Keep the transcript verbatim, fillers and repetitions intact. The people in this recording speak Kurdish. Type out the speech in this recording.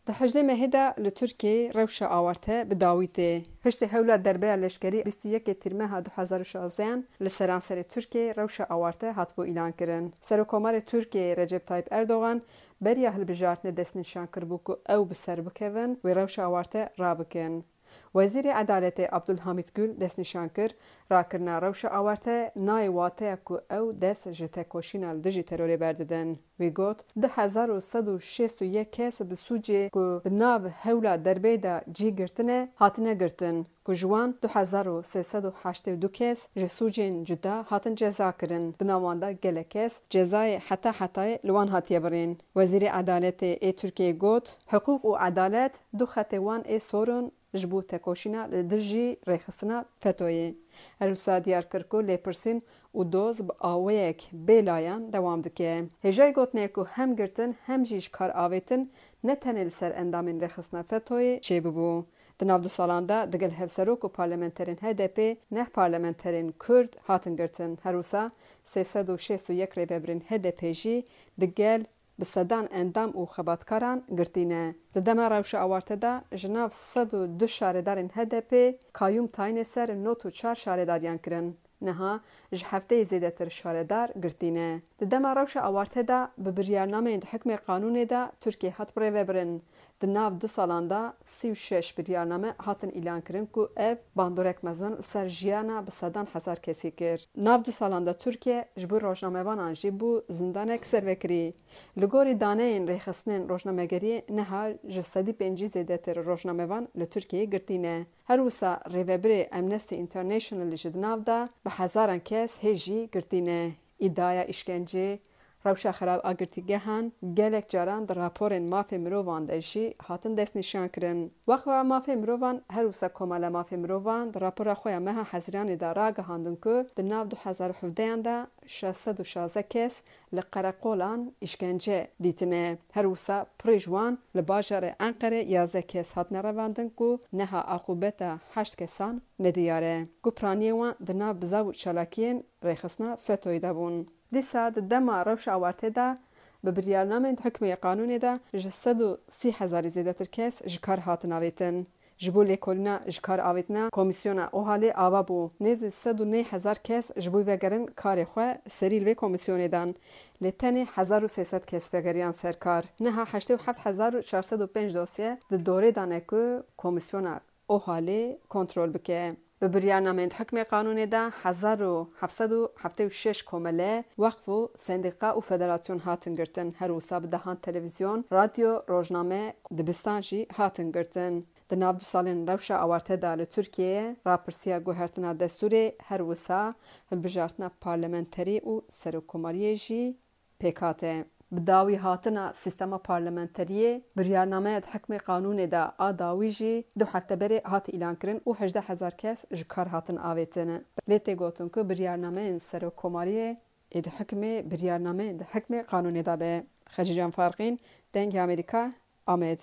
Di hejdê mehê de li Tirkiyeyê rewşa awarte bi dawî tê. Piştî hewla derbeya leşkerî bîst û yekê Tîrmeha du hezar û şazdehan li seranserê Tirkiyeyê rewşa awarte hatibû îlankirin. Serokkomarê Tirkiyeyê Recep Tayyip Erdogan beriya hilbijartinê destnîşan kiribû ku ew bi ser bikevin, wê rewşa awarte rabikin. Wezîrê Edaletê Abdulhamît Gül destnîşan kir, rakirina rewşa awarte nayê wateya ku ew dest ji tekoşîna li dijî terorê berdidin. Wî got, du hezar û sed û şêst û yek kes bi sûcê ku di nav hewla derbeyê de cî girtine, hatine girtin, ku ji wan du hezar û sê sed û heştê û du kes ji sûcên cuda hatin ceza kirin. Di nav wan de gelek kes cezayê heta hetayê li wan hatiye birîn. Wezîrê Edaletê ê Tirkiyeyê got, hiqûq û edalet du xetê wan ê sor in ji bo tekoşîna li dijî rêxistina FETÖ'yê. Her wisa diyar kir ku lêpirsîn û doz bi awayek bêlayan dewam dike. Hêjayî gotinê ku hem girtin hem jî ji kar avêtin ne tenê li ser endamên rêxistina FETÖ'yê çêbibû. Di nav du salan de digel hevserok û parlamenterên HDP'ê neh parlamenterên Kurd hatin girtin. Her wisa sê sed û şêst û yek rêvebirên HDP'ê jî digel bi sedan endam û xebatkaran girtî ne. Di dema rewşa awarte de ji nav sed û du şaredarên HDP'ê kayyûm tayînê ser nod û çar şaredariyan kirin. Niha ji hefteyê zêdetir şaredar girtî ne. Di dema rewşa awarte de bi biryarnameyên di hikmê qanûnê de Tirkiye hat birêvebirin. Di nav du salan de sî û şeş biryarname hatin îlankirin ku ev bandorek mezin li ser jiyana bi sedan hezar kesî kir. Nav du salan de Tirkiye ji bo rojnamevanan jî bû zindanek servekirî. Li gorî daneyên rêxistinên rojnamegeriyê niha ji sedî pêncî zêdetir rojnamevan li Tirkiyeyê girtî ne. Her wisa rêvebirê Amnesty International jî di nav de bi hezaran kes hê jî girtî ne. Îdiaya îşkencê, rewşa xerab a girtîgehan gelek caran di raporên mafê mirovan de jî hatin destnîşankirin. Weqfa Mafê Mirovan her wisa Komala Mafê Mirovan di rapora xwe ya meha Hezîranê de ragihandin ku di nav du hezar û hevdehan de şeş sed û şazdeh kes li qereqolan îşkence dîtine. Her wisa pirê ji wan li bajarê Enqerê yazdeh kes hatine revandin ku niha aqûbeta heşt kesan nediyar e. Ku piraniyên wan di nav bizav û çalakiyên rêxistina FETÖ'yê de bûn. Dîsa di dema rewşa awarte de bi biryarnameyên di hikmê qanûnê de ji sed û sî hezarî zêdetir kes ji kar hatin avêtin. Ji bo lêkolîna ji kar avêtina komîsyona OHAL'ê ava bû. Nêzî sed û neh hezar kes ji bo vegerin karê xwe serî li vê komîsyonê dan. Lê tenê hezar û sê sed kes vegeriyan ser kar. Niha heştê û heft hezar û çar sed û pênc dosye di dorê de ne ku komîsyona OHAL'ê kontrol bike. Bi biryarnameyên di hikmê qanûnê de hezar û heft sed û heftê û şeş komele, weqf û sendîqa û federasyon hatin girtin. Her wisa bi dehan televîzyon, radyo, rojname, dibistan jî hatin girtin. Di nav du salên rewşa awarte de li Tirkiyeyê rapirsiya guhertina destûrê, her wisa hilbijartina parlamenterî û serokkomariyê jî pêk hate. Bi dawî hatina sîstema parlamenteriyê, biryarnameya di hikmê qanûnê de a dawî jî du hefte berê hat îlankirin û hejdeh hezar kes ji kar hatin avêtin. Lê tê gotin ku biryarnameyên serokkomariyê ê di hikmê biryarnameyên di hikmê qanûnê de be. Xecîcan Farqîn, Dengê Amerîka, Amed.